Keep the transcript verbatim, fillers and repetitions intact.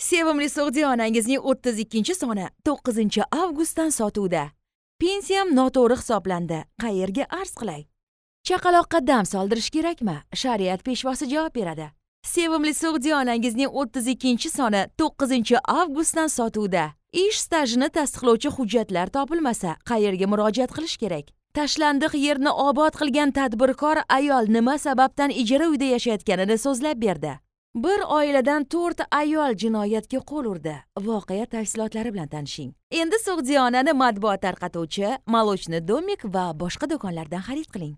Sevimli So'g'diyonangizning o'ttiz ikkinchi soni to'qqizinchi avgustdan sotuvda. Pensiyam noto'g'ri hisoblandi. Qayerga arz qilay? Chaqaloqqa dam soldirish kerakmi? Shariat peshvosi javob beradi. Sevimli So'g'diyonangizning o'ttiz ikkinchi soni to'qqizinchi avgustdan sotuvda. Ish stajini tasdiqlovchi hujjatlar topilmasa, qayerga murojaat qilish kerak? Tashlandiq yerni obod qilgan tadbirkor ayol nima sababdan ijara uyda yashayotganini so'zlab berdi. Bir oiladan to'rt ayol jinoyatga qo'l urdi. Voqea tafsilotlari bilan tanishing. Endi So'g'diyonani matbuot tarqatuvchi, Молочный домик va boshqa do'konlardan xarid qiling.